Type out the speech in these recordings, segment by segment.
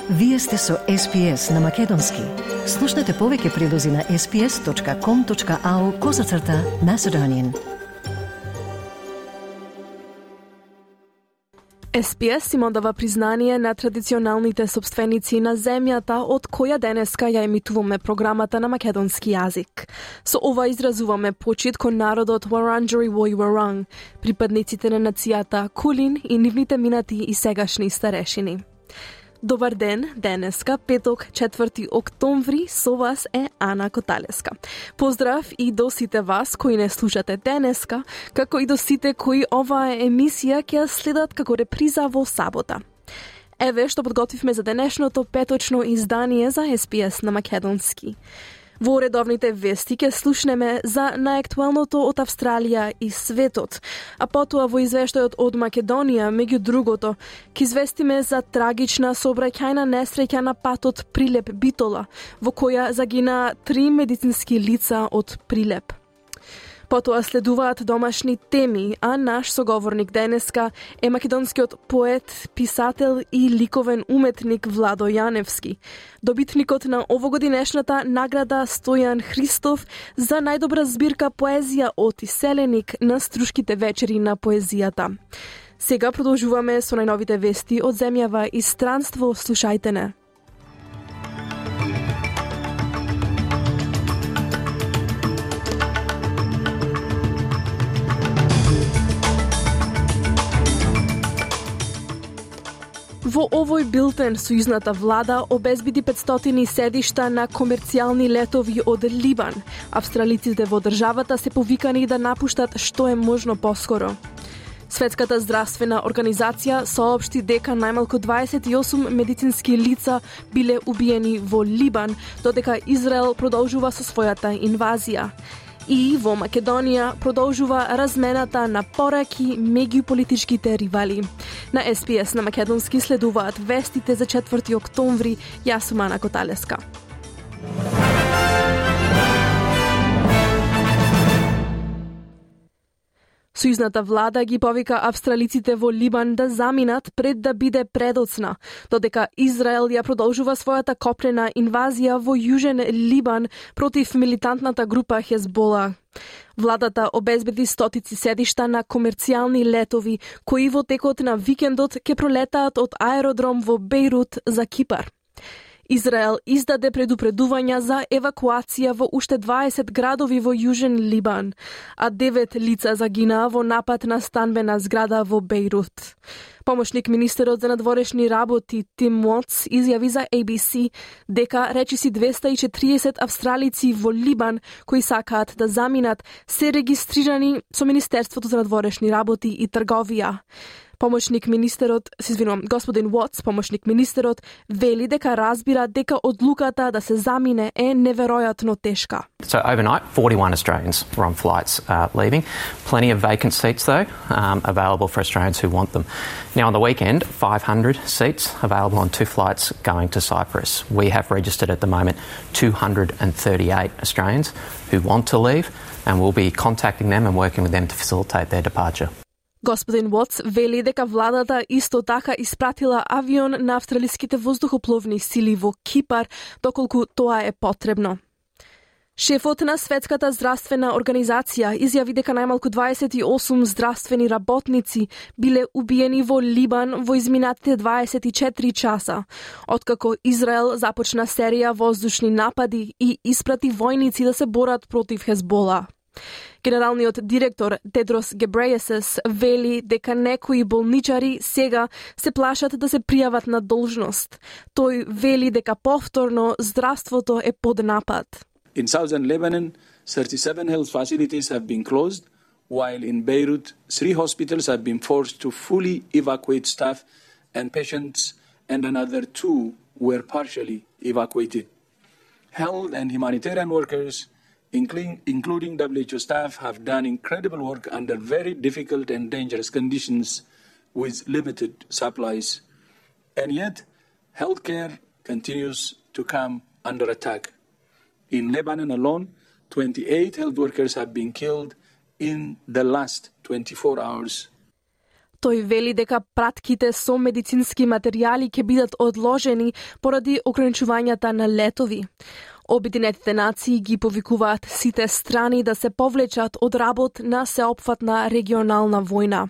Вие сте со SPS на Македонски. Слушнете повеќе прилози на sps.com.au/Macedonian. SPS им одава признание на традиционалните собственици на земјата од која денеска ја емитуваме програмата на македонски јазик. Со ова изразуваме почит кон народот Wurundjeri Woi Wurrung, припадниците на нацијата Кулин и нивните минати и сегашни старешини. Добар ден, денеска, петок, 4 октомври, со вас е Ана Коталеска. Поздрав и до сите вас кои не слушате денеска, како и до сите кои оваа емисија ќе следат како реприза во сабота. Еве што подготвивме за денешното петочно издание за SPS на македонски. Во редовните вести ќе слушнеме за најактуелното од Австралија и светот, а потоа во извештајот од Македонија, меѓу другото, ќе известиме за трагична сообраќајна несреќа на патот Прилеп-Битола, во која загинаа 3 медицински лица од Прилеп. Потоа следуваат домашни теми, а наш соговорник денеска е македонскиот поет, писател и ликовен уметник Владо Јаневски, добитникот на овогодинешната награда Стојан Христов за најдобра збирка поезија од Иселеник на Струшките вечери на поезијата. Сега продолжуваме со најновите вести од земјава и странство, слушајте не. Во овој билтен сојузната влада обезбеди 500 седишта на комерцијални летови од Либан. Австралиците во државата се повикани да напуштат што е можно поскоро. Светската здравствена организација соопшти дека најмалку 28 медицински лица биле убиени во Либан, додека Израел продолжува со својата инвазија. И во Македонија продолжува размената на пораки меѓу политичките ривали. На SPS на македонски следуваат вестите за 4 октомври. Јас сум Ана Коталеска. Сојузната влада ги повика австралиците во Либан да заминат пред да биде предоцна, додека Израел ја продолжува својата копнена инвазија во Јужен Либан против милитантната група Хезбола. Владата обезбеди стотици седишта на комерцијални летови, кои во текот на викендот ќе пролетаат од аеродром во Бејрут за Кипар. Израел издаде предупредувања за евакуација во уште 20 градови во Јужен Либан, а 9 лица загинаа во напад на станбена зграда во Бејрут. Помошник министерот за надворешни работи Тим Уотс изјави за ABC дека речиси 240 австралици во Либан кои сакаат да заминат се регистрирани со Министерството за надворешни работи и трговија. Господин Уотс, помошник министерот, вели дека разбира дека одлуката да се замине е неверојатно тешка. So overnight, 41 Australians were on flights leaving. Plenty of vacant seats though, available for Australians who want them. Now on the weekend, 500 seats available on 2 flights going to Cyprus. We have registered at the moment 238 Australians who want to leave, and we'll be contacting them and working with them to facilitate their departure. Господин Уотс вели дека владата исто така испратила авион на австралиските воздухопловни сили во Кипар, доколку тоа е потребно. Шефот на Светската здравствена организација изјави дека најмалку 28 здравствени работници биле убиени во Либан во изминатите 24 часа, откако Израел започна серија воздушни напади и испрати војници да се борат против Хезбола. Генералниот директор Тедрос Гебрејесес вели дека некои болничари сега се плашат да се пријават на должност. Тој вели дека повторно здравството е под напад. In southern Lebanon, 37 health facilities have been closed, while in Beirut, 3 hospitals have been forced to fully evacuate staff and patients, and another 2 were partially evacuated. Health and humanitarian workers, including WHO staff, have done incredible work under very difficult and dangerous conditions with limited supplies. And yet, healthcare continues to come under attack. In Lebanon alone, 28 health workers have been killed in the last 24 hours. Тој вели дека пратките со медицински материјали ќе бидат одложени поради ограничувањата на летови. Обединетите нации ги повикуваат сите страни да се повлечат од работ на сеопфатна регионална војна.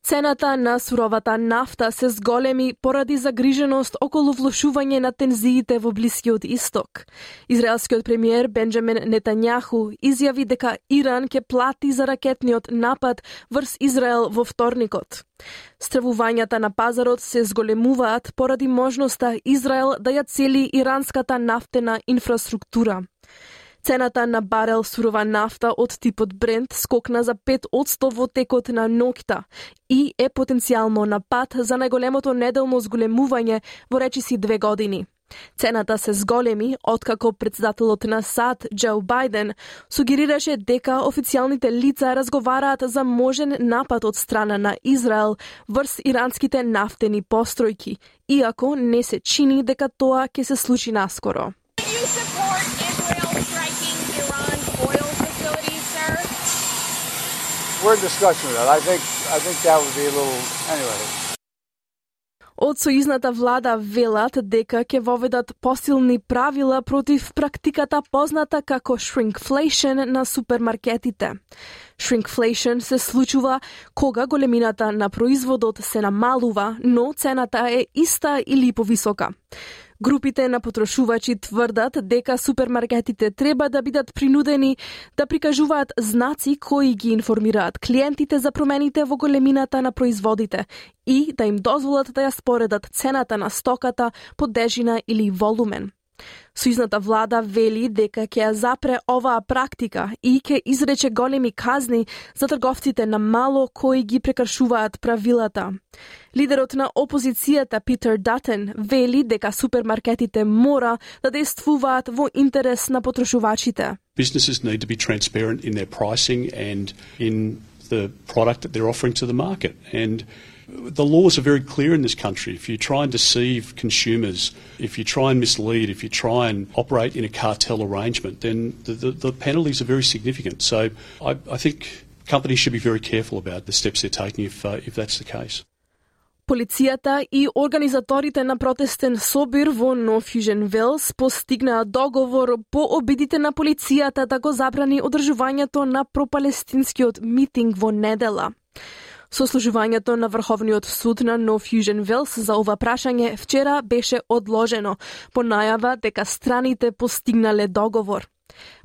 Цената на суровата нафта се зголеми поради загриженост околу влошување на тензиите во Блискиот Исток. Израелскиот премиер Бенџамин Нетањаху изјави дека Иран ќе плати за ракетниот напад врз Израел во вторникот. Стравувањата на пазарот се зголемуваат поради можноста Израел да ја цели иранската нафтена инфраструктура. Цената на барел сурова нафта од типот Брент скокна за 5% во текот на ноќта и е потенцијално на пат за најголемото неделно зголемување во речиси 2 години. Цената се зголеми откако председателот на САД Џо Бајден сугерираше дека официјалните лица разговараат за можен напад од страна на Израел врз иранските нафтени постројки, иако не се чини дека тоа ќе се случи наскоро. We're in discussion with that. I think that would be a little anyway. Од сојузната влада велат дека ќе воведат посилни правила против практиката позната како shrinkflation на супермаркетите. Shrinkflation се случува кога големината на производот се намалува, но цената е иста или повисока. Групите на потрошувачи тврдат дека супермаркетите треба да бидат принудени да прикажуваат знаци кои ги информираат клиентите за промените во големината на производите и да им дозволат да ја споредат цената на стоката по тежина или волумен. Сојузната влада вели дека ќе ја запре оваа практика и ќе изрече големи казни за трговците на мало кои ги прекршуваат правилата. Лидерот на опозицијата Питер Датен вели дека супермаркетите мора да действуваат во интерес на потрошувачите. Businesses need to be transparent in their pricing and in the product that they're offering to the market. And the laws are very clear in this country. If you try and deceive consumers, if you try and mislead, if you try and operate in a cartel arrangement, then the penalties are very significant. So I think companies should be very careful about the steps they're taking if that's the case. Полицијата и организаторите на протестен собир во North Fusion Wells постигнаа договор по обидите на полицијата да го забрани одржувањето на пропалестинскиот митинг во недела. Сослужувањето на Врховниот суд на North Fusion Wells за ова прашање вчера беше одложено по најава дека страните постигнале договор.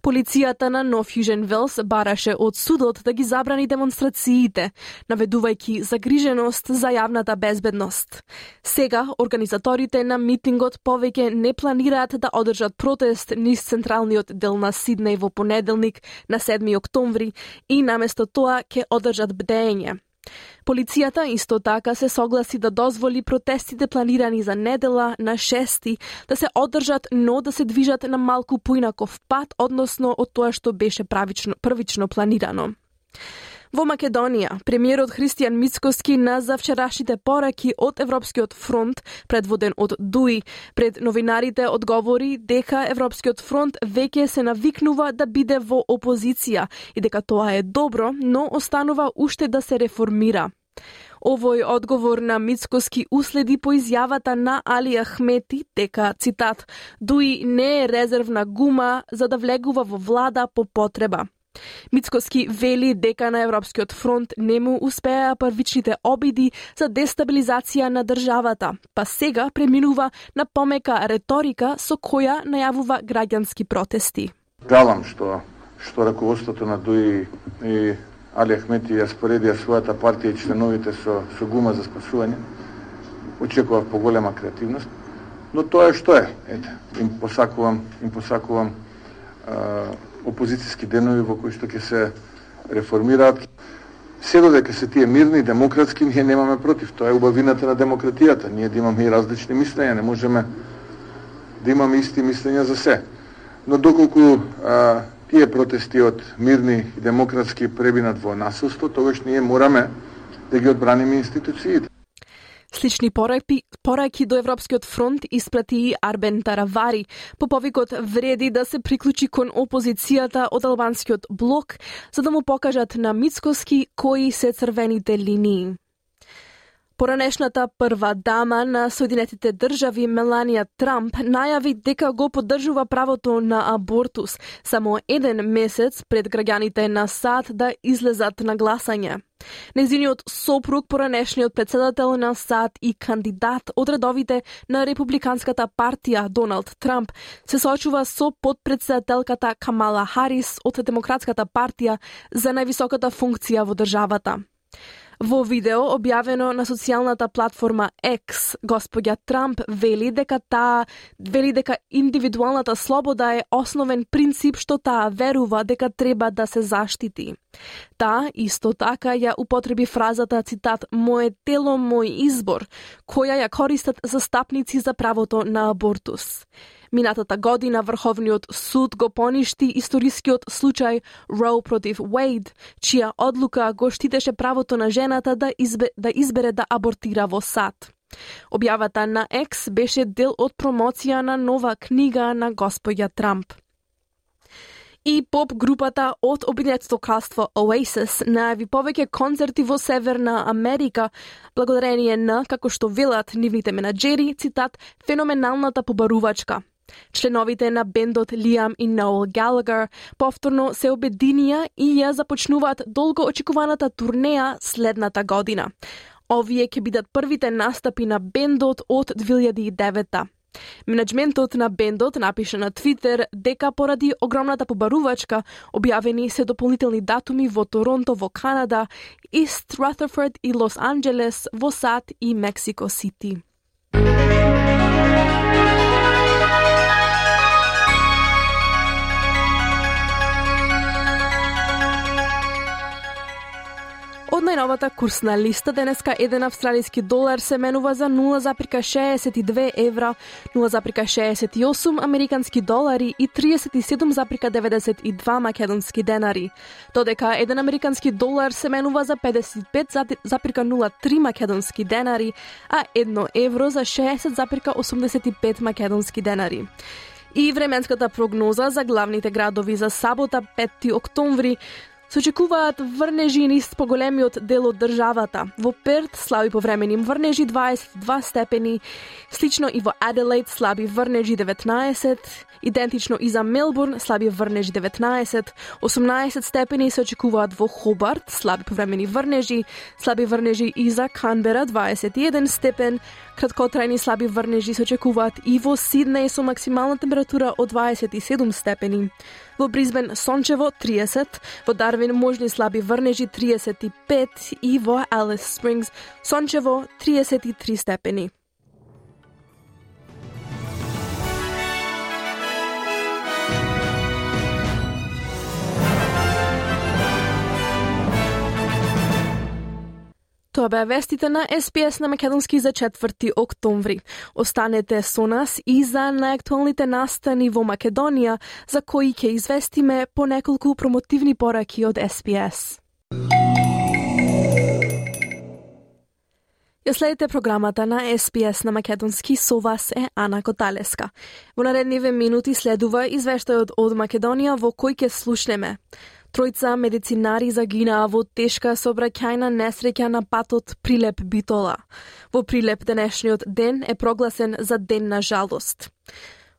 Полицијата на North Fusion Wells бараше од судот да ги забрани демонстрациите, наведувајќи загриженост за јавната безбедност. Сега, организаторите на митингот повеќе не планираат да одржат протест низ централниот дел на Сиднеј во понеделник на 7 октомври и наместо тоа ќе одржат бдење. Полицијата исто така се согласи да дозволи протестите планирани за недела на 6 да се одржат, но да се движат на малку поинаков пат, односно од тоа што беше првично планирано. Во Македонија, премиерот Христијан Мицкоски назва вчерашните пораки од Европскиот фронт, предводен од ДУИ, пред новинарите одговори дека Европскиот фронт веќе се навикнува да биде во опозиција и дека тоа е добро, но останува уште да се реформира. Овој одговор на Мицкоски уследи по изјавата на Али Ахмети дека, цитат, ДУИ не е резервна гума за да влегува во влада по потреба. Мицкоски вели дека на Европскиот фронт не му успеа првичните обиди за дестабилизација на државата, па сега преминува на помека реторика со која најавува граѓански протести. Жалам што раководството на ДУИ и Али Ахмети ја споредија својата партија и членовите со гума за спасување. Очекував поголема креативност, но тоа е што е. Ете, им посакувам опозицијски денови во кои што ќе се реформираат. Се додека се тие мирни, демократски, ние немаме против. Тоа е убавината на демократијата. Ние да имаме и различни мислења, не можеме да имаме исти мислења за се. Но доколку тие протести од мирни и демократски пребинат во насилство, тогаш ние мораме да ги одбраниме институциите. Слични пораки до Европскиот фронт испрати и Арбен Таравари. По повикот вреди да се приклучи кон опозицијата од албанскиот блок, за да му покажат на Мицкоски кои се црвените линии. Поранешната прва дама на Соединетите држави Меланија Трамп најави дека го поддржува правото на абортус само еден месец пред граѓаните на САД да излезат на гласање. Незиниот сопруг, поранешниот председател на САД и кандидат од редовите на Републиканската партија Доналд Трамп, се соочува со подпредседателката Камала Харис од Демократската партија за највисоката функција во државата. Во видео објавено на социјалната платформа X, господја Трамп вели дека индивидуалната слобода е основен принцип што таа верува дека треба да се заштити. Таа исто така ја употреби фразата, цитат, "Моje тело, мој избор", која ја користат застапници за правото на абортус. Минатата година Врховниот суд го поништи историскиот случај Роу против Уейд, чија одлука го штитеше правото на жената да избере да абортира во САД. Објавата на X беше дел од промоција на нова книга на господја Трамп. И поп групата од Обединетото кралство Oasis најави повеќе концерти во Северна Америка, благодарение на, како што велат нивните менаџери, цитат, "феноменалната побарувачка". Членовите на бендот Лиам и Ноел Галагер повторно се обединија и ја започнуваат долго очекуваната турнеја следната година. Овие ќе бидат првите настапи на бендот од 2009-та. Менеджментот на бендот напише на Твитер дека поради огромната побарувачка објавени се дополнителни датуми во Торонто во Канада, Ист Рутherford и Лос Анџелес во САД и Мексико Сити. Од најновата курсна листа денеска еден австралиски долар се менува за 0,62 евра, 0,68 американски долари и 37,92 македонски денари. Додека еден американски долар се менува за 55,03 македонски денари, а 1 евро за 60,85 македонски денари. И временската прогноза за главните градови за сабота 5 октомври се очекуваат врнежи низ поголемиот дел од државата. Во Перт слаби повремени врнежи 22 степени, слично и во Аделаид слаби врнежи 19, идентично и за Мелбурн слаби врнежи 19, 18 степени се очекуваат во Хобарт, слаби повремени врнежи и за Канбера 21 степен, краткотрајни слаби врнежи се очекуваат и во Сиднеј со максимална температура од 27 степени. Во Бризбен сончево 30, во Дарвин можни слаби врнежи 35 и во Алис Спрингс сончево 33 степени. Тоа беа вестите на СПС на македонски за 4 октомври. Останете со нас и за најактуалните настани во Македонија, за кои ќе известиме по неколку промотивни пораки од СПС. Ја следите програмата на СПС на македонски, со вас е Ана Коталеска. Во наредниве минути следува извештајот од Македонија во кој ќе слушнеме. Тројца медицинари загинаа во тешка сообраќајна несреќа на патот Прилеп-Битола. Во Прилеп денешниот ден е прогласен за ден на жалост.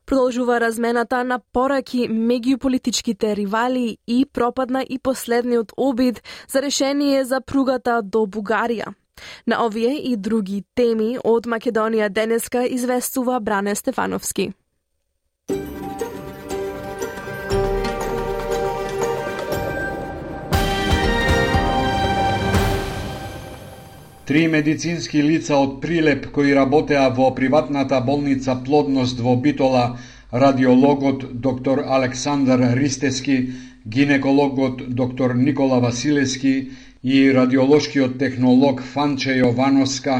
Продолжува размената на пораки меѓу политичките ривали и пропадна и последниот обид за решение за пругата до Бугарија. На овие и други теми од Македонија денеска известува Бране Стефановски. Три медицински лица од Прилеп кои работеа во приватната болница Плодност во Битола, радиологот доктор Александар Ристески, гинекологот доктор Никола Василевски и радиолошкиот технолог Фанче Јовановска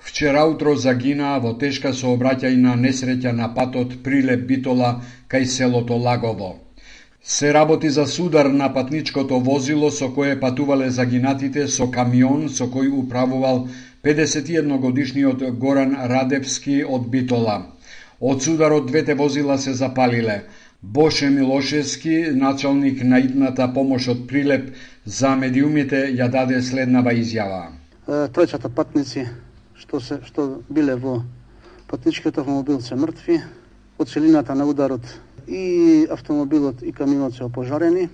вчера утро загинаа во тешка сообраќајна несреќа на патот Прилеп-Битола кај селото Лагово. Се работи за судар на патничкото возило со кое патувале загинатите со камион со кој управувал 51-годишниот Горан Радевски од Битола. Од сударот двете возила се запалиле. Боше Милошевски, началник на итната помош од Прилеп за медиумите, ја даде следнава изјава. Тројцата патници што биле во патничкиот автомобил се мртви, од силината на ударот и автомобилот и камионот се опожарени.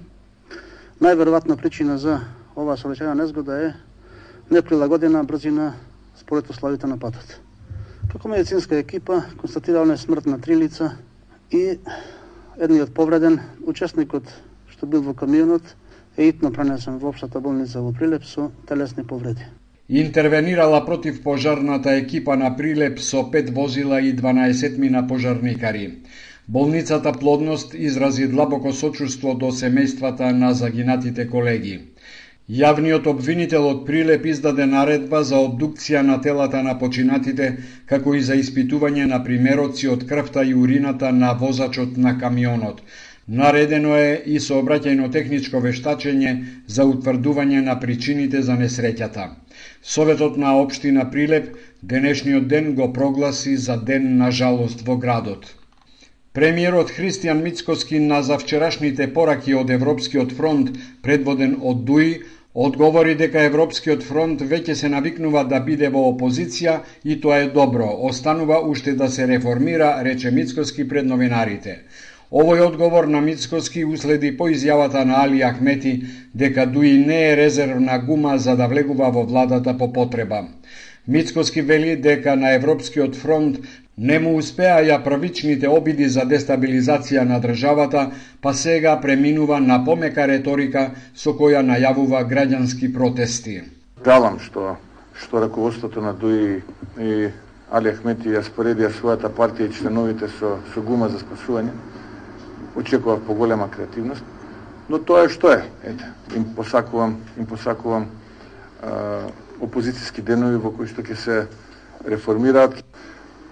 Најверојатна причина за оваа сообраќајна незгода е неприлагодена брзина според условите на патот. Како медицинска екипа констатирална е смрт на 3 лица и едниот повреден, учесникот што бил во камионот, е итно пренесен во општата болница во Прилеп со телесни повреди. Интервенирала против пожарната екипа на Прилеп со 5 возила и 12 пожарникари. Болницата Плодност изрази длабоко сочувство до семејствата на загинатите колеги. Јавниот обвинител од Прилеп издаде наредба за обдукција на телата на починатите, како и за испитување на примероци од крвта и урината на возачот на камионот. Наредено е и сообраќајно-техничко вештачење за утврдување на причините за несреќата. Советот на општина Прилеп денешниот ден го прогласи за ден на жалост во градот. Премиерот Христијан Мицкоски на завчерашните пораки од Европскиот фронт, предводен од ДУИ, одговори дека Европскиот фронт веќе се навикнува да биде во опозиција и тоа е добро, останува уште да се реформира, рече Мицкоски пред новинарите. Овој одговор на Мицкоски уследи по изјавата на Али Ахмети дека ДУИ не е резервна гума за да влегува во владата по потреба. Мицкоски вели дека на Европскиот фронт не му успеаја првичните обиди за дестабилизација на државата, па сега преминува на помека реторика со која најавува граѓански протести. Жалам што раководството на ДУИ и Али Ахмети ја споредија својата партија и членовите со гума за спасување. Очекував поголема креативност, но тоа е што е. Ете, им посакувам опозицијски денови во кои што ќе се реформираат.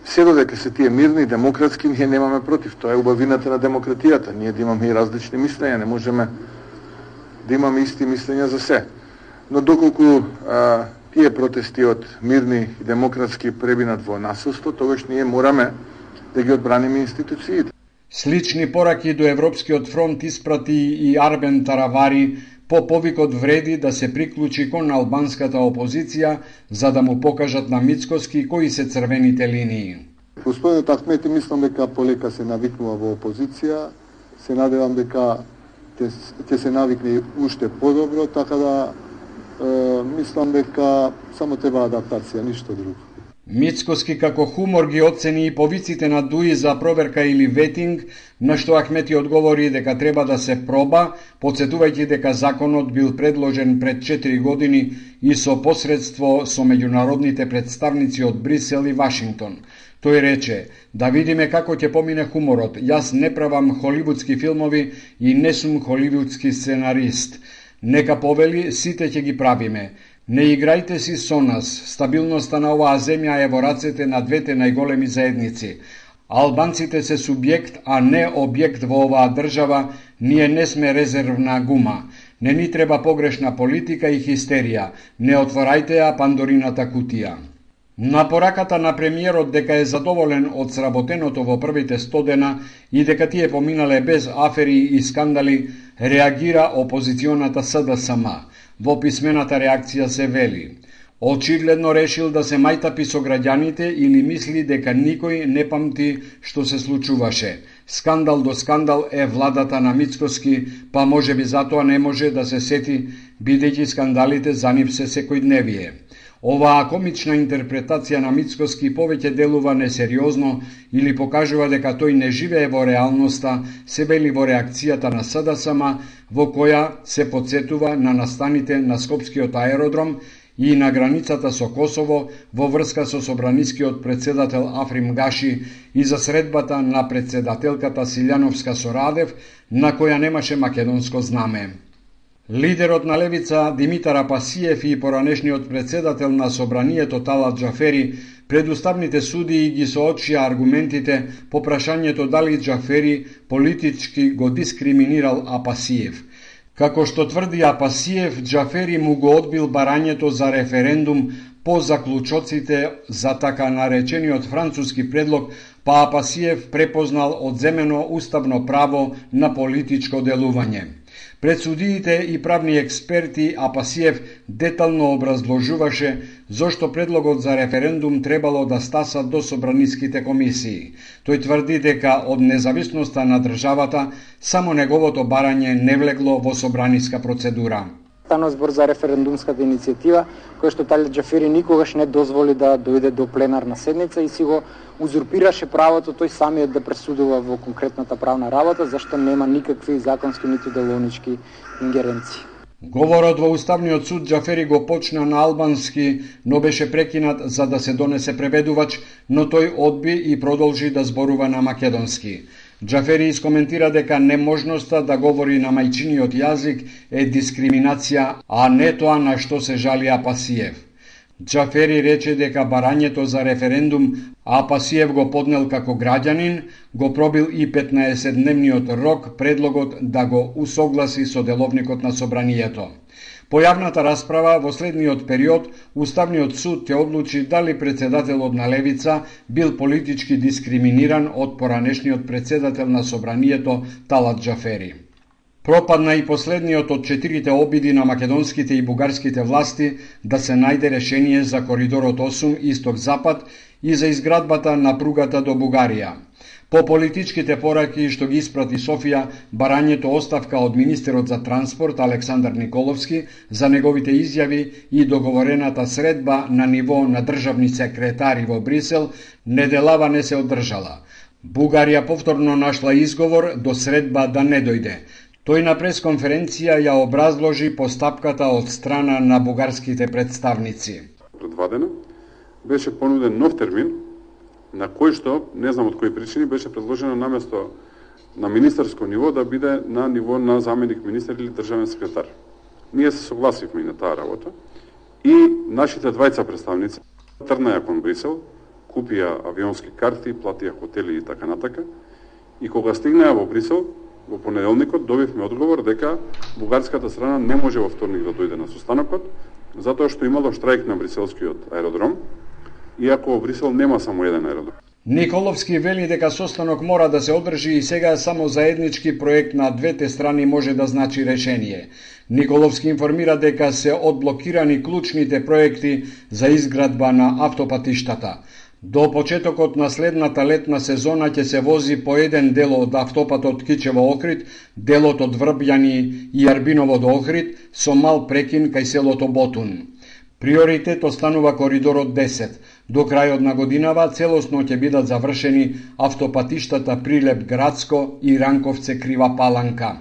Се додека се тие мирни и демократски, ние немаме против. Тоа е убавината на демократијата. Ние да имаме и различни мислења, не можеме да имаме исти мислења за се. Но доколку тие протести од мирни и демократски пребинат во насилство, тогаш ние мораме да ги одбраниме институциите. Слични пораки до Европскиот фронт испрати и Арбен Таравари по повикот вреди да се приклучи кон албанската опозиција за да му покажат на Мицкоски кои се црвените линии. Господинот Ахмети мислам дека полека се навикнува во опозиција, се надевам дека ќе се навикне уште подобро, така да мислам дека само треба адаптација, ништо друго. Мицкоски како хумор ги оцени и повиците на ДУИ за проверка или ветинг, на што Ахмети одговори дека треба да се проба, подсетувајќи дека законот бил предложен пред 4 години и со посредство со меѓународните представници од Брисел и Вашингтон. Тој рече, да видиме како ќе помине хуморот, јас не правам холивудски филмови и не сум холивудски сценарист. Нека повели, сите ќе ги правиме. Не играјте си со нас, стабилноста на оваа земја е во рацете на двете најголеми заедници. Албанците се субјект, а не објект во оваа држава, ние не сме резервна гума. Не ни треба погрешна политика и хистерија, не отворајте ја Пандорината кутија. На пораката на премиерот дека е задоволен од сработеното во првите 100 дена и дека тие поминале без афери и скандали, реагира опозиционата СДСМ. Во писмената реакција се вели: очигледно решил да се мајтапи со граѓаните или мисли дека никој не памти што се случуваше. Скандал до скандал е владата на Мицкоски, па можеби затоа не може да се сети, бидејќи скандалите за нив се секојдневие. Оваа комична интерпретација на Мицкоски повеќе делува несериозно или покажува дека тој не живее во реалноста, се вели во реакцијата на СДСМ, во која се подсетува на настаните на Скопскиот аеродром и на границата со Косово во врска со собранискиот председател Африм Гаши и за средбата на председателката Силјановска со Радев, на која немаше македонско знаме. Лидерот на левица Димитар Апасиев и поранешниот председател на собранието Талат Џафери пред уставните судии ги соочија аргументите по прашањето дали Џафери политички го дискриминирал Апасиев. Како што тврди Апасиев, Џафери му го одбил барањето за референдум по заклучоците за така наречениот француски предлог, па Апасиев препознал одземено уставно право на политичко делување. Пред судиите и правни експерти Апасиев детално образложуваше зошто предлогот за референдум требало да стаса до собраниските комисии. Тој тврди дека од независноста на државата само неговото барање не влегло во собраниска процедура. Станува збор за референдумската иницијатива, која што Талат Џафери никогаш не дозволи да дојде до пленарна седница и си го узурпираше правото тој самиот да пресудува во конкретната правна работа, зашто нема никакви законски ниту деловнички ингеренции. Говорот во Уставниот суд Џафери го почна на албански, но беше прекинат за да се донесе преведувач, но тој одби и продолжи да зборува на македонски. Џафери искоментира дека неможноста да говори на мајчиниот јазик е дискриминација, а не тоа на што се жали Апасиев. Џафери рече дека барањето за референдум Апасиев го поднел како граѓанин, го пробил и 15-дневниот рок предлогот да го усогласи со деловникот на собранието. По јавната расправа во следниот период, Уставниот суд ќе одлучи дали председателот на Левица бил политички дискриминиран од поранешниот председател на собранието Талат Џафери. Пропадна и последниот од 4 обиди на македонските и бугарските власти да се најде решение за коридорот 8 исток-запад и за изградбата на пругата до Бугарија. По политичките пораки што ги испрати Софија, барањето оставка од министерот за транспорт Александар Николовски за неговите изјави и договорената средба на ниво на државни секретари во Брисел неделава не се одржала. Бугарија повторно нашла изговор до средба да не дојде. Тој на пресконференција ја образложи постапката од страна на бугарските представници. Пред 2 дена беше понуден нов термин, на кој што, не знам од кои причини, беше предложено наместо на министерско ниво да биде на ниво на заменик министер или државен секретар. Ние се согласивме и на таа работа и нашите двајца представници тргнаја кон Брисел, купија авионски карти, платија хотели и така натака, и кога стигнаја во Брисел, во понеделникот добивме одговор дека бугарската страна не може во вторник да дојде на состанокот, затоа што имало штрајк на бриселскиот аеродром, иако во Брисел нема само еден аеродром. Николовски вели дека состанок мора да се одржи и сега само заеднички проект на двете страни може да значи решение. Николовски информира дека се одблокирани клучните проекти за изградба на автопатиштата. До почетокот на следната летна сезона ќе се вози по еден дел од автопатот Кичево-Охрид, делот од Врбјани и Арбиново до Охрид, со мал прекин кај селото Ботун. Приоритет останува коридорот 10. До крајот на годинава целосно ќе бидат завршени автопатиштата Прилеп-Градско и Ранковце-Крива Паланка.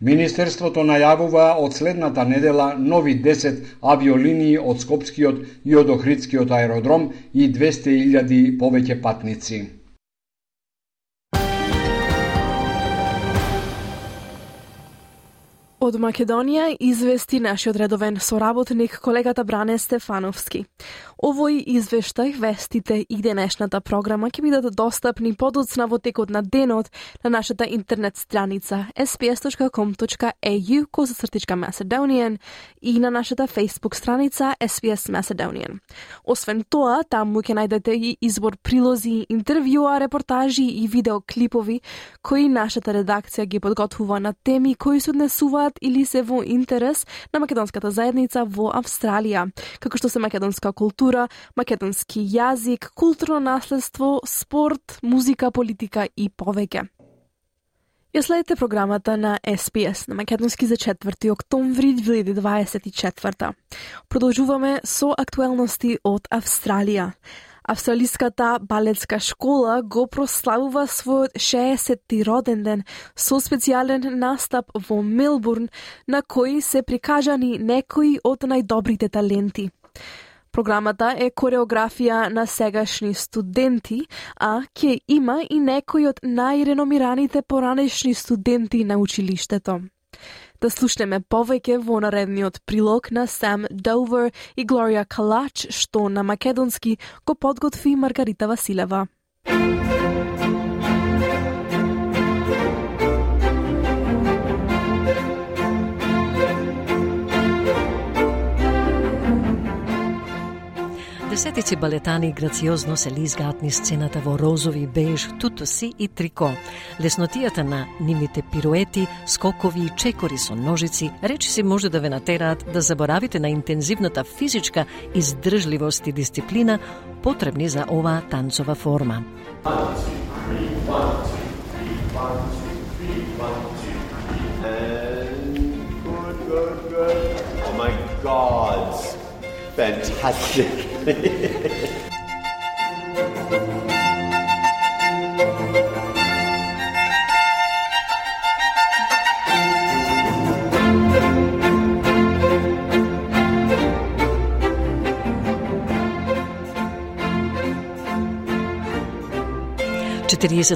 Министерството најавува од следната недела нови 10 авиолинии од Скопскиот и од Охридскиот аеродром и 200.000 повеќе патници. Од Македонија извести нашиот редовен соработник колегата Бране Стефановски. Овој извештај, вестите и денешната програма ќе бидат достапни подоцна во текот на денот на нашата интернет страница sbs.com.au/Macedonian и на нашата Facebook страница SBS Macedonian. Освен тоа, таму ќе најдете и избор прилози, интервјуа, репортажи и видеоклипови кои нашата редакција ги подготвува на теми кои се однесуваат или се во интерес на македонската заедница во Австралија, како што се македонска култура, македонски јазик, културно наследство, спорт, музика, политика и повеќе. Ја следите програмата на SBS на македонски за 4 октомври 2024. Продолжуваме со актуелности од Австралија. Австралиската балетска школа го прославува својот 60-ти роден ден со специјален настап во Мелбурн, на кој се прикажани некои од најдобрите таленти. Програмата е кореографија на сегашни студенти, а ќе има и некои од најреномираните поранешни студенти на училиштето. Да слушнеме повеќе во наредниот прилог на Сам Довер и Глорија Калач, што на македонски го подготви Маргарита Василева. Десетици балетани грациозно се лизгаат низ сцената во розови, беж, тутоси и трико. Леснотијата на нивните пируети, скокови и чекори со ножици речиси може да ве натераат да заборавите на интензивната физичка издржливост и дисциплина потребни за оваа танцова форма. Oh my God! Fantastic!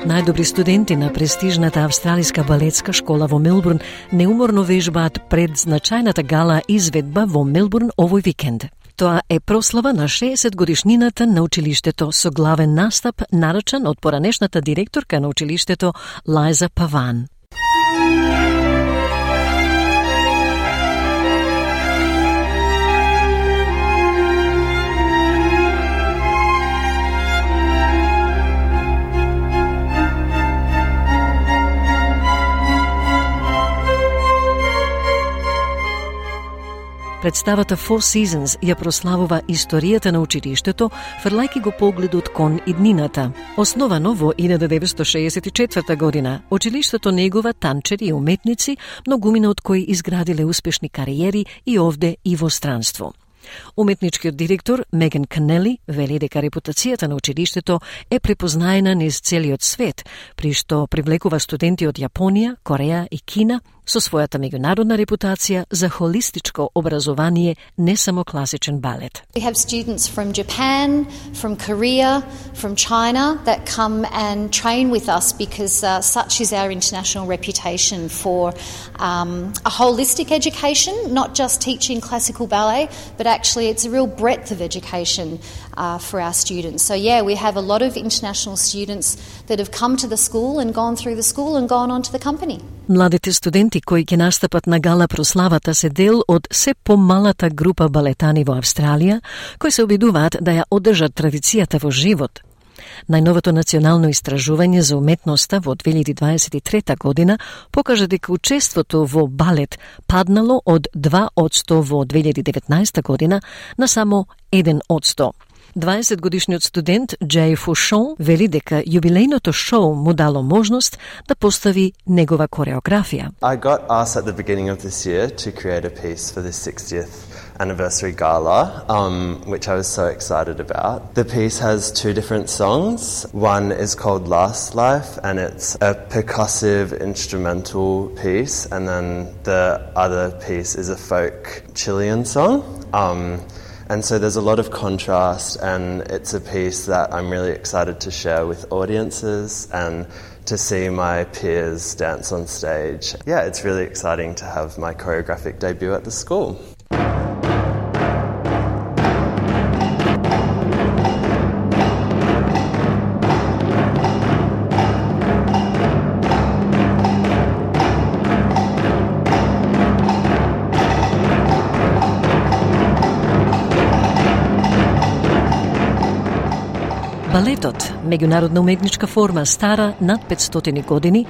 Најдобри студенти на престижната австралиска балетска школа во Мелбурн неуморно вежбаат пред значајната гала изведба во Мелбурн овој викенд. Тоа е прослава на 60 годишнината на училиштето со главен настап нарачан од поранешната директорка на училиштето Лајза Паван. Представата Four Seasons ја прославува историјата на училиштето, фрлајки го погледот кон иднината. Основано во 1964 година, училиштето негува танчери и уметници, многумина од кои изградиле успешни кариери и овде и во странство. Уметничкиот директор Меган Канели вели дека репутацијата на училиштето е препознаена низ целиот свет, при што привлекува студенти од Јапонија, Кореја и Кина со својата меѓународна репутација за холистичко образование, не само класичен балет. We have students from Japan, from Korea, from China that come and train with us because such is our international reputation for a holistic education, not just teaching classical ballet, but actually it's a real breadth of education for our students. So yeah, we have a lot of international students that have come to the school and gone through the school and gone on to the company. Младите студенти кои ќе настапат на гала прославата се дел од се помалата група балетани во Австралија, кои се обидуваат да ја одржат традицијата во живот. Најновото национално истражување за уметноста во 2023 година покажа дека учеството во балет паднало од 2% во 2019 година на само 1%. 20-годишниот студент Джей Фушон вели дека јубилејното шоу му дало можност да постави негова кореографија. I got asked at the beginning of this year to create a piece for the 60th anniversary gala, which I was so excited about. The piece has two different songs. One is called Last Life, and it's a percussive instrumental piece, and then the other piece is a folk Chilean song. And so there's a lot of contrast, and it's a piece that I'm really excited to share with audiences and to see my peers dance on stage. Yeah, it's really exciting to have my choreographic debut at the school. Балетот, меѓународна уметничка форма стара над 500 години,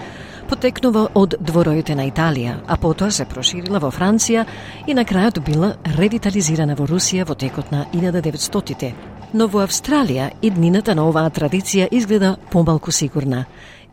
потекнува од двороите на Италија, а потоа се проширила во Франција и на крајот била ревитализирана во Русија во текот на 1900-тите. Но во Австралија иднината на оваа традиција изгледа помалку сигурна.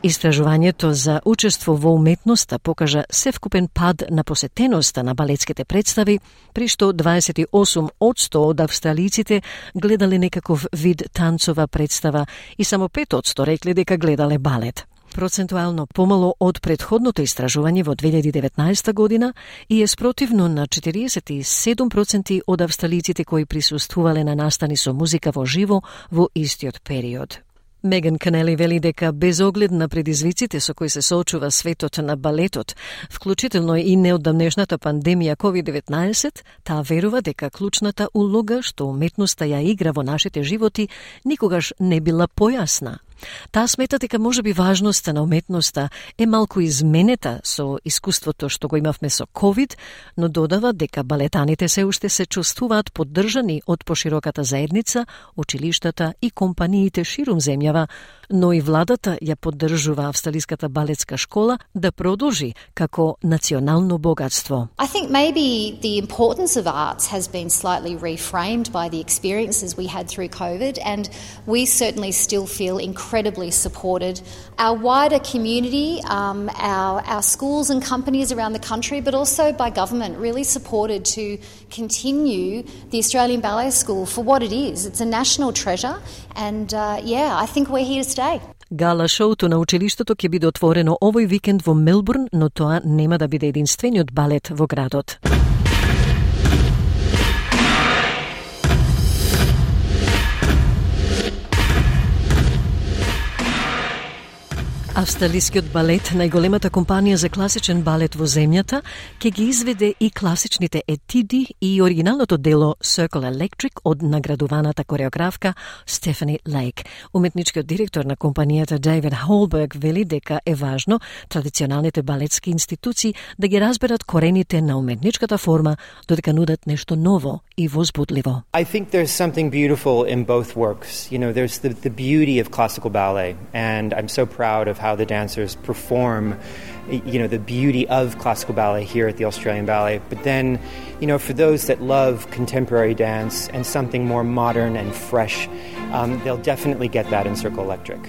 Истражувањето за учество во уметноста покажа севкупен пад на посетеноста на балетските представи, при што 28% од австралиците гледале некаков вид танцова представа и само 5% рекле дека гледале балет. Процентуално помало од претходното истражување во 2019 година и е спротивно на 47% од австралиците кои присуствувале на настани со музика во живо во истиот период. Меган Канели вели дека без оглед на предизвиците со кои се соочува светот на балетот, вклучително и неодамнешната пандемија COVID-19, таа верува дека клучната улога што уметноста ја игра во нашите животи никогаш не била појасна. Таа смета дека можеби важноста на уметноста е малку изменета со искуството што го имавме со COVID, но додава дека балетаните се уште се чувствуваат поддржани од пошироката заедница, училиштата и компаниите ширум земјава, но и владата ја поддржува Австралиската балетска школа да продолжи како национално богатство. I think maybe the importance of arts has been slightly reframed by the experiences we had through COVID, and we certainly still feel incredibly supported. Our wider community, our schools and companies around the country, but also by government, really supported to continue the Australian Ballet School for what it is. It's a national treasure, and I think we're here to stay. Гала шоуто на училиштето ќе биде отворено овој викенд во Мелбурн, но тоа нема да биде единствениот балет во градот. Австралискиот балет, најголемата компанија за класичен балет во земјата, ќе ги изведе и класичните етиди и оригиналното дело Circle Electric од наградуваната кореографка Стефани Лейк. Уметничкиот директор на компанијата Дейвид Холберг вели дека е важно традиционалните балетски институции да ги разберат корените на уметничката форма, додека нудат нешто ново и возбудливо. I think there's something beautiful in both works. You know, there's the beauty of classical ballet, and I'm so proud of how the dancers perform, you know, the beauty of classical ballet here at the Australian Ballet. But then, you know, for those that love contemporary dance and something more modern and fresh, they'll definitely get that in Circle Electric.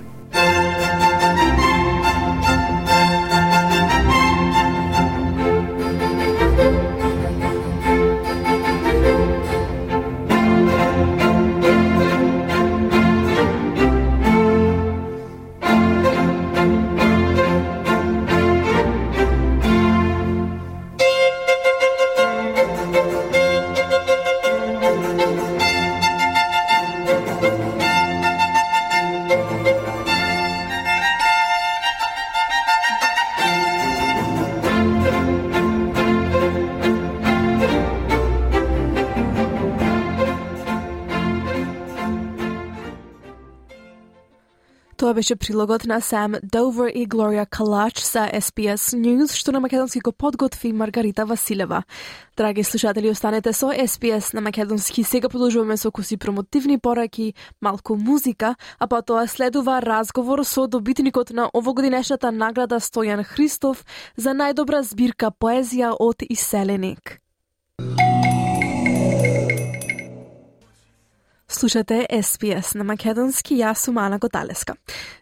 Тоа беше прилогот на Сам Довер и Глорија Калач за SBS News, што на македонски го подготви Маргарита Василева. Драги слушатели, останете со SBS на македонски. Сега продолжуваме со куси промотивни пораки, малку музика, а потоа следува разговор со добитникот на овогодинешната награда Стојан Христов за најдобра збирка поезија од Иселеник. Слушате SBS на македонски, јас сум Ана Готалеска.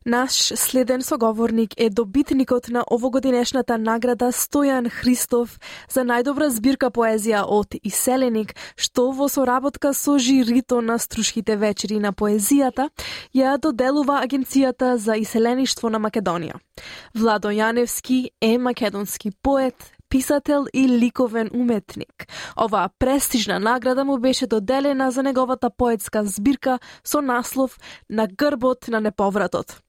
Наш следен соговорник е добитникот на овогодинешната награда Стојан Христов за најдобра збирка поезија од Иселеник, што во соработка со жирито на Струшките вечери на поезијата ја доделува Агенцијата за иселеништво на Македонија. Владо Јаневски е македонски поет, писател и ликовен уметник. Оваа престижна награда му беше доделена за неговата поетска збирка со наслов На грбот на неповратот.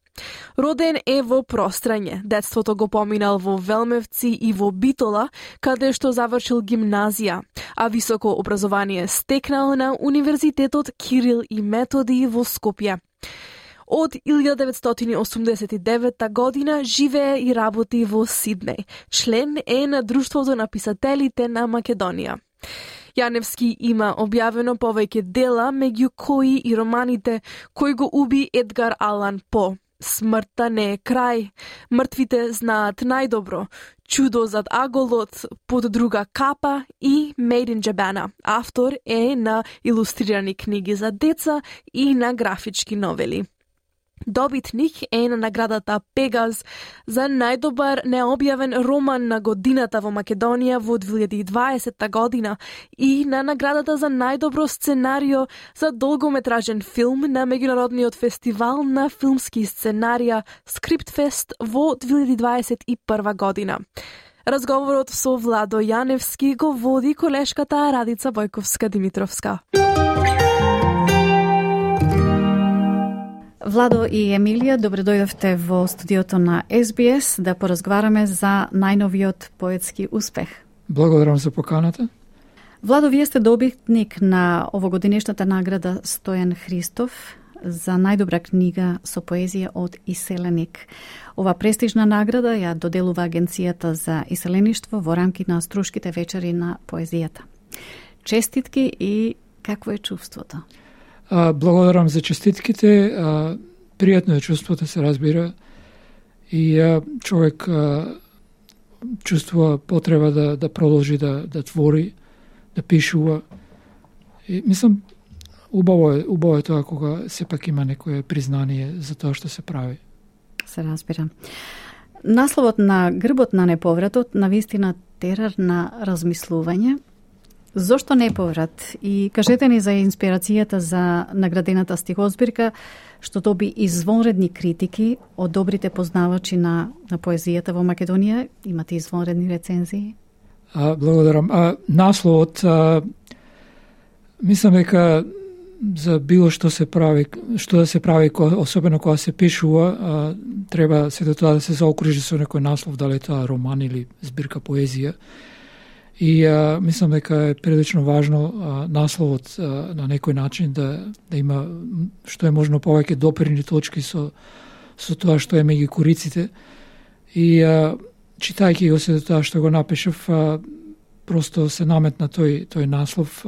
Роден е во Прострање, детството го поминал во Велмевци и во Битола, каде што завршил гимназија, а високо образование стекнал на Универзитетот Кирил и Методи во Скопје. Од 1989 година живее и работи во Сиднеј. Член е на Друштвото на писателите на Македонија. Јаневски има објавено повеќе дела, меѓу кои и романите Кој го уби Едгар Алан По, Смртта не е крај, Мртвите знаат најдобро, Чудо зад аголот, Под друга капа и Made in Jabana. Автор е на илустрирани книги за деца и на графички новели. Добитник е на наградата Пегаз за најдобар необјавен роман на годината во Македонија во 2020 година и на наградата за најдобро сценарио за долгометражен филм на Меѓународниот фестивал на филмски сценарија Скриптфест во 2021 година. Разговорот со Владо Јаневски го води колешката Радица Војковска-Димитровска. Владо и Емилија, добре дојдовте во студиото на SBS да поразговараме за најновиот поетски успех. Благодарам за поканата. Владо, вие сте добитник на овогодинешната награда Стојан Христов за најдобра книга со поезија од иселеник. Ова престижна награда ја доделува Агенцијата за иселеништво во рамки на Струшките вечери на поезијата. Честитки и какво е чувството? Благодарам за честитките. Пријатно е чувството, се разбира. И човек чувствува потреба да продолжи да твори, да пишува. И мислам, убаво е тоа кога сепак има некое признание за тоа што се прави. Се разбира. Насловот на Грбот на неповратот навистина терар на размислување. Зошто неповрат? И кажете ни за инспирацијата за наградената стихозбирка, што доби извонредни критики од добрите познавачи на поезијата во Македонија. Имате извонредни рецензии? Благодарам. Насловот, мислам дека за било што се прави, што да се прави, особено кога се пишува, треба сето тоа да се заокружи со некој наслов, дали тоа роман или збирка поезија. И мислам дека е прилично важно насловот на некој начин да има што е можно повеќе допирни точки со тоа што е меѓу кориците. И читајќи го се тоа што го напишав, просто се наметна тој наслов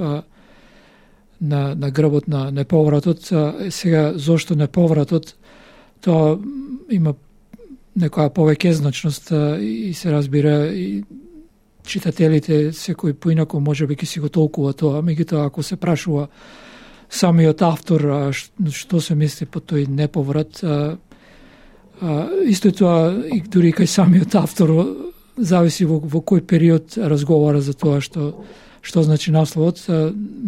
на Грбот на неповратот. Сега, зошто неповратот? Тоа има некоја повеќе значност и се разбира и читателите секој поинако може би ќе си го толкува тоа. Меѓутоа, ако се прашува самиот автор што се мисли по тој неповрат, исто тоа и дури кај самиот автор зависи во кој период разговара за тоа што значи насловот.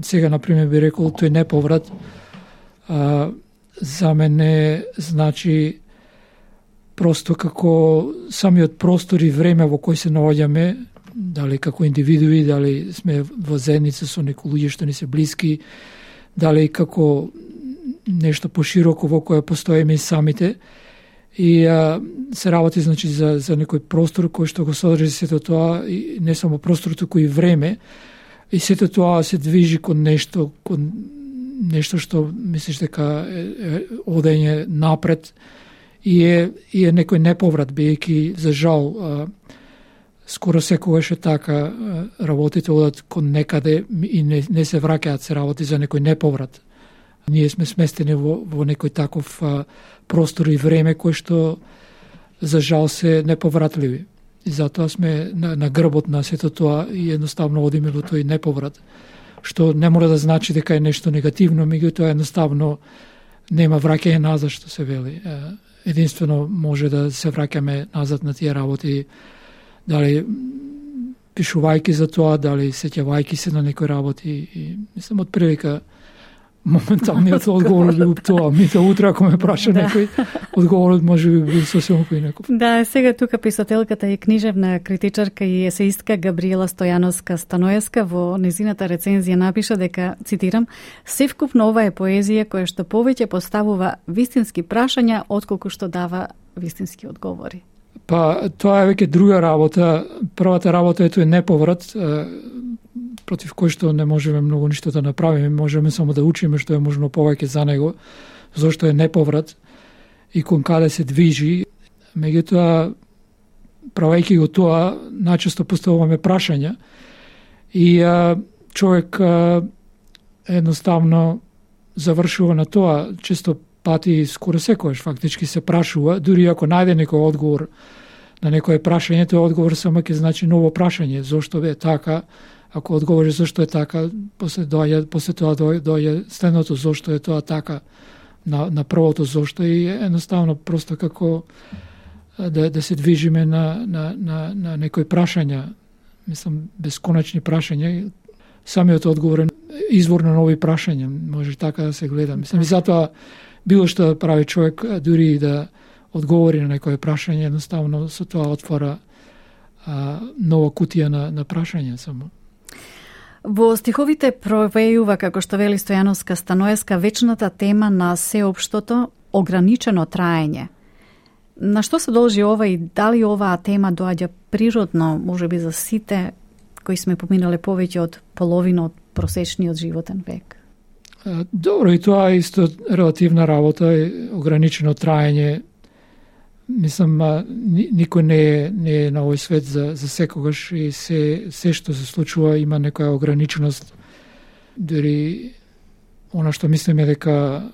Сега, например, би рекол тој неповрат за мене значи просто како самиот простор и време во кој се наоѓаме, дали како индивидуи, дали сме во заедница со некои луѓе што ни се блиски, дали како нешто пошироко во кое постоиме и самите. И се работи значи за некој простор кој што го содржи сето тоа, и не само простор, туку и време. И сето тоа се движи кон нешто што мислиш дека одење напред и е некој неповрат, бидејќи за жал скоро секогаш е така, работите одат кон некаде и не се враќаат, се работи за некој неповрат. Ние сме сместени во некој таков простор и време кој што за жал се неповратливи. И затоа сме на грбот на сето тоа и едноставно одиме во тој неповрат. Што не мора да значи дека е нешто негативно, меѓутоа едноставно нема враќање назад, што се вели. Единствено може да се враќаме назад на тие работи, дали пишувајќи за тоа, дали сеќавајќи се на некои работи. И мислам, од прилика моменталниот одговор би тоа. Мите утре, ако ме праша некој, одговорот може би бил сосема поинаков. Да, сега тука писателката и книжевна критичарка и есеистка Габриела Стојановска-Станоевска во незината рецензија напиша дека, цитирам, "Севкупно ова е поезија која што повеќе поставува вистински прашања отколку што дава вистински одговори." Па, тоа е веќе друга работа. Првата работа е тој неповрат, против кој што не можеме многу ништо да направиме, можеме само да учиме што е можно повеќе за него, зошто е неповрат и кон каде се движи. Меѓутоа, правејќи го тоа, најчесто поставуваме прашања и човек едноставно завршува на тоа. Често пати, скоро секојаш фактички се прашува, дури ако најде некој одговор на некое прашање, тој одговор само ќе значи ново прашање. Зошто е така? Ако одговори зошто е така, после тоа доаѓа следното зошто е тоа така на првото зошто, и едноставно просто како да се движиме на некои прашања, мислам бесконечни прашања. Самиот одговор е извор на нови прашања, може така да се гледа. Мислам, и затоа било што да прави човек, дури да одговори на некое прашање, едноставно со тоа отвора нова кутија на прашања само. Во стиховите провејува, како што вели Стојановска-Станоевска, вечната тема на сеопштото ограничено траење. На што се должи ова и дали оваа тема доаѓа природно, можеби за сите кои сме поминале повеќе од половина од просечниот животен век? Добро, и тоа е исто релативна работа, ограничено траење. Мислам, никој не е на овој свет за секогаш и се што се случува има некоја ограниченост. Дори она што мислиме дека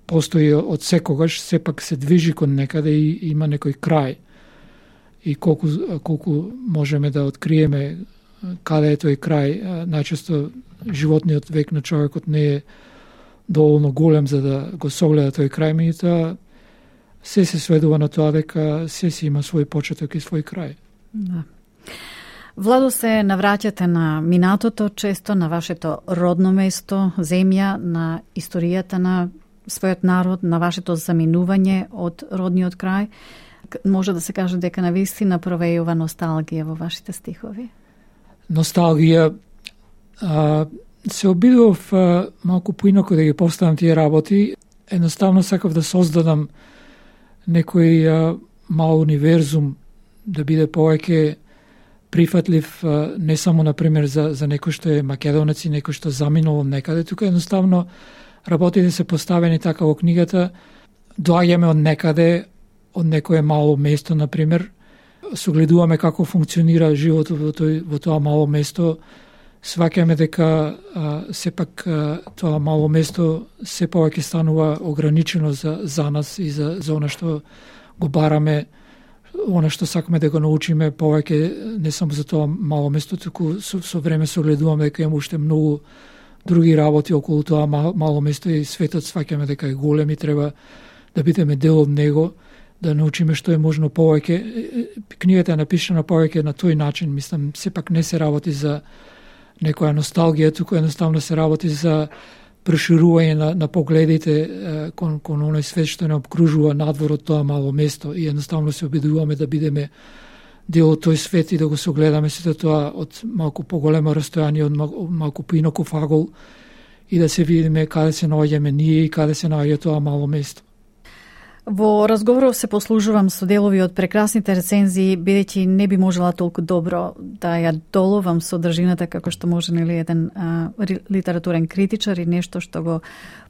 постои од секогаш, сепак се движи кон некаде и има некој крај. И колку можеме да откриеме каде е тој крај, најчесто животниот век на човекот не е доволно голем за да го согледа тој крај, меѓутоа се сведува на тоа дека се си има свој почеток и свој крај. Да. Владо, се навраќате на минатото, често на вашето родно место, земја, на историјата на својот народ, на вашето заминување од родниот крај. Може да се каже дека навистина провејува носталгија во вашите стихови? Носталгија, се обидов малку поинако да ги поставам тие работи. Едноставно сакав да создадам некој мал универзум, да биде повеќе прифатлив, не само, например, за некој што е македонец и некој што заминал некаде. Тука едноставно работите се поставени така во книгата, доаѓаме од некаде, од некое мало место, например, согледуваме како функционира животот во тоа мало место, сваќаме дека сепак тоа мало место се повеќе станува ограничено за нас и за она што го бараме, она што сакаме да го научиме повеќе, не само за тоа мало место, туку со време согледуваме дека има уште многу други работи околу тоа мало место и светот сваќаме дека е голем и треба да бидеме дел од него, да научиме што е можно повеќе. Книгата е напишана повеќе на тој начин, мислам, сепак не се работи за некоја носталгија, туку едноставно се работи за проширување на погледите кон оној свет што не обкружува надвор од тоа мало место и едноставно се обидуваме да бидеме дел од тој свет и да го согледаме сето тоа од малку поголемо растојание, од малку поинаков агол и да се видиме каде се наоѓаме ние и каде се наоѓа тоа мало место. Во разговоров се послужувам со делови од прекрасните рецензии, бидејќи не би можела толку добро да ја доловам содржината како што може нели еден литературен критичар и нешто што го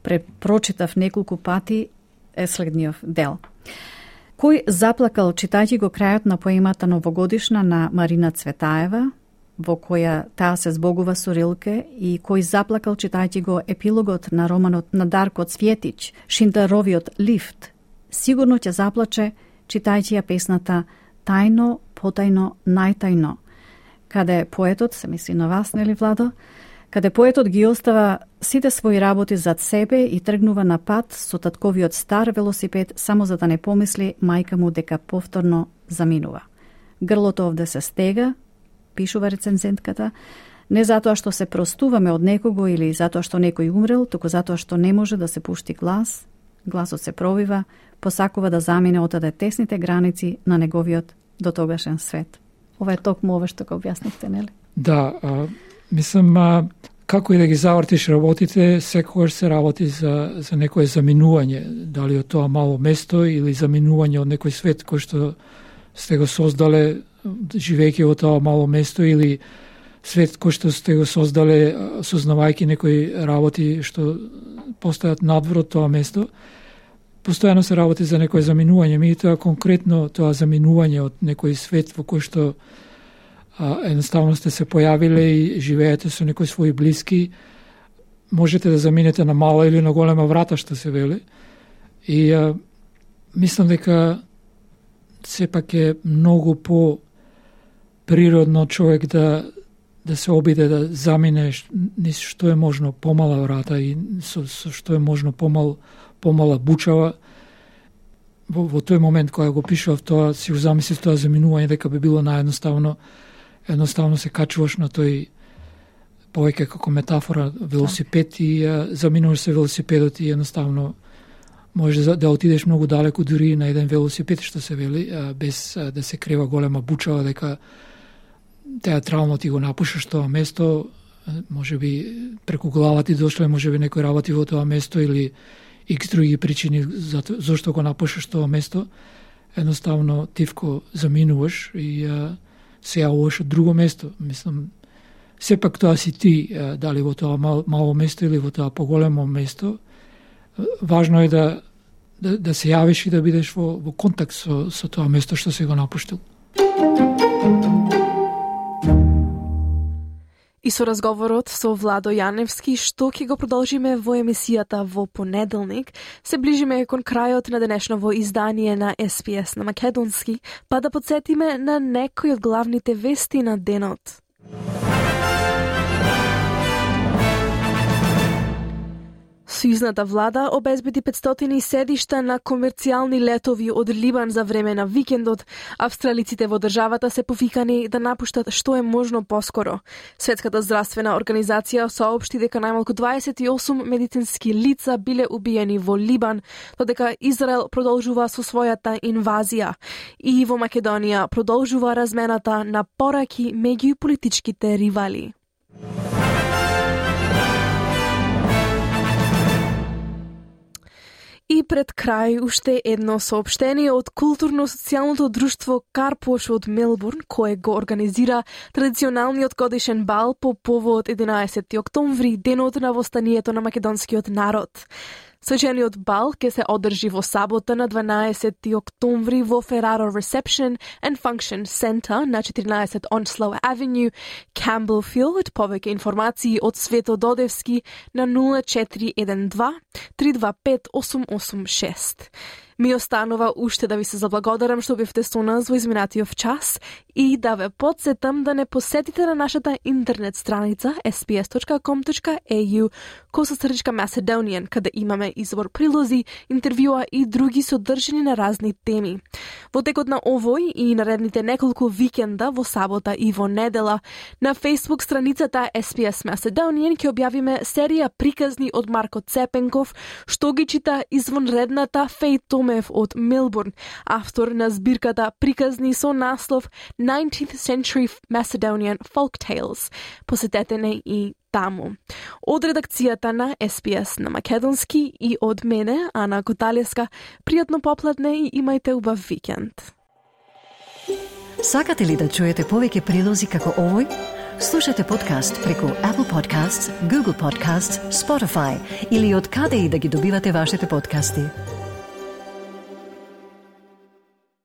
препрочитав неколку пати е следниот дел. Кој заплакал читајќи го крајот на поемата Новогодишна на Марина Цветаева, во која таа се збогува со Рилке, и кој заплакал читајќи го епилогот на романот на Дарко Цвјетич, Шиндаровиот лифт, сигурно ќе заплаче читајќи ја песната Тајно, потајно, најтајно, каде поетот, се мисли на вас, нели Владо, каде поетот ги остава сите своји работи зад себе и тргнува на пат со татковиот стар велосипед само за да не помисли мајка му дека повторно заминува. Грлото овде се стега, пишува рецензентката, не затоа што се простуваме од некого или затоа што некој умрел, туку затоа што не може да се пушти глас, гласот се пробива, посакува да замине отаде тесните граници на неговиот дотогашен свет. Ова е токму ова што го објаснивте, нели? Да, мислам, како и да ги завртиш работите, секогаш се работи за некое заминување, дали од тоа мало место или заминување од некој свет кој што сте го создале живејќи во тоа мало место или свет кој што сте го создале сознавајќи некои работи што постојат надвор од тоа место. Постојано се работи за некој заминување, меѓутоа конкретно тоа заминување од некој свет во кој што едноставно сте се појавиле и живеете со некои своји блиски, можете да заминете на мала или на голема врата, што се вели. И мислам дека сепак е многу по природно човек да се обиде да замине низ што е можно помала врата и со што е можно помала бучава. Во тој момент кога го пишував тоа, си го замислив тоа заминување дека би било наједноставно. Едноставно се качуваш на тој повеќе како метафора велосипед и заминуваш се велосипедот и едноставно можеш да отидеш многу далеку дури на еден велосипед, што се вели, без да се крева голема бучава дека театрално ти го напушаш тоа место, може би преку глава ти дошле, може би некој работи во тоа место или икс други причини зашто го напушаш тоа место, едноставно тивко заминуваш и се јавуваш од друго место. Мислам, сепак тоа си ти, дали во тоа мало место или во тоа поголемо место, важно е да се јавиш и да бидеш во контакт со тоа место што си го напуштил. И со разговорот со Владо Јаневски, што ќе го продолжиме во емисијата во понеделник, се ближиме кон крајот на денешново издание на SPS на македонски, па да подсетиме на некои од главните вести на денот. Сојузната влада обезбеди 500 седишта на комерцијални летови од Либан за време на викендот. Австралиците во државата се повикани да напуштат што е можно поскоро. Светската здравствена организација соопшти дека најмалку 28 медицински лица биле убиени во Либан, додека Израел продолжува со својата инвазија. И во Македонија продолжува размената на пораки меѓу политичките ривали. И пред крај уште едно соопштение од културно-социјалното друштво Карпош од Мелбурн, кое го организира традиционалниот годишен бал по повод 11 октомври, денот на востанието на македонскиот народ. Свечениот бал ќе се одржи во сабота на 12 октомври во Ferraro Reception and Function Center на 14 Onslow Avenue, Campbellfield. Повеќе информации од Свето Додевски на 0412 325 886. Ми останува уште да ви се заблагодарам што бевте со нас во изминатиот час и да ве потсетам да не посетите на нашата интернет страница sps.com.au/Macedonian, каде имаме избор прилози, интервјуа и други содржини на разни теми. Во текот на овој и наредните неколку викенда во сабота и во недела на Facebook страницата SPS Macedonian ќе објавиме серија приказни од Марко Цепенков, што ги чита извонредната Феј Томев од Мелбурн, автор на збирката приказни со наслов 19th Century Macedonian Folk Tales. Посетете не и таму. Од редакцијата на SPS на македонски и од мене, Ана Коталеска, пријатно попладне и имајте убав викенд. Сакате ли да чуете повеќе прилози како овој? Слушате подкаст преку Apple Podcasts, Google Podcasts, Spotify или од каде и да ги добивате вашите подкасти.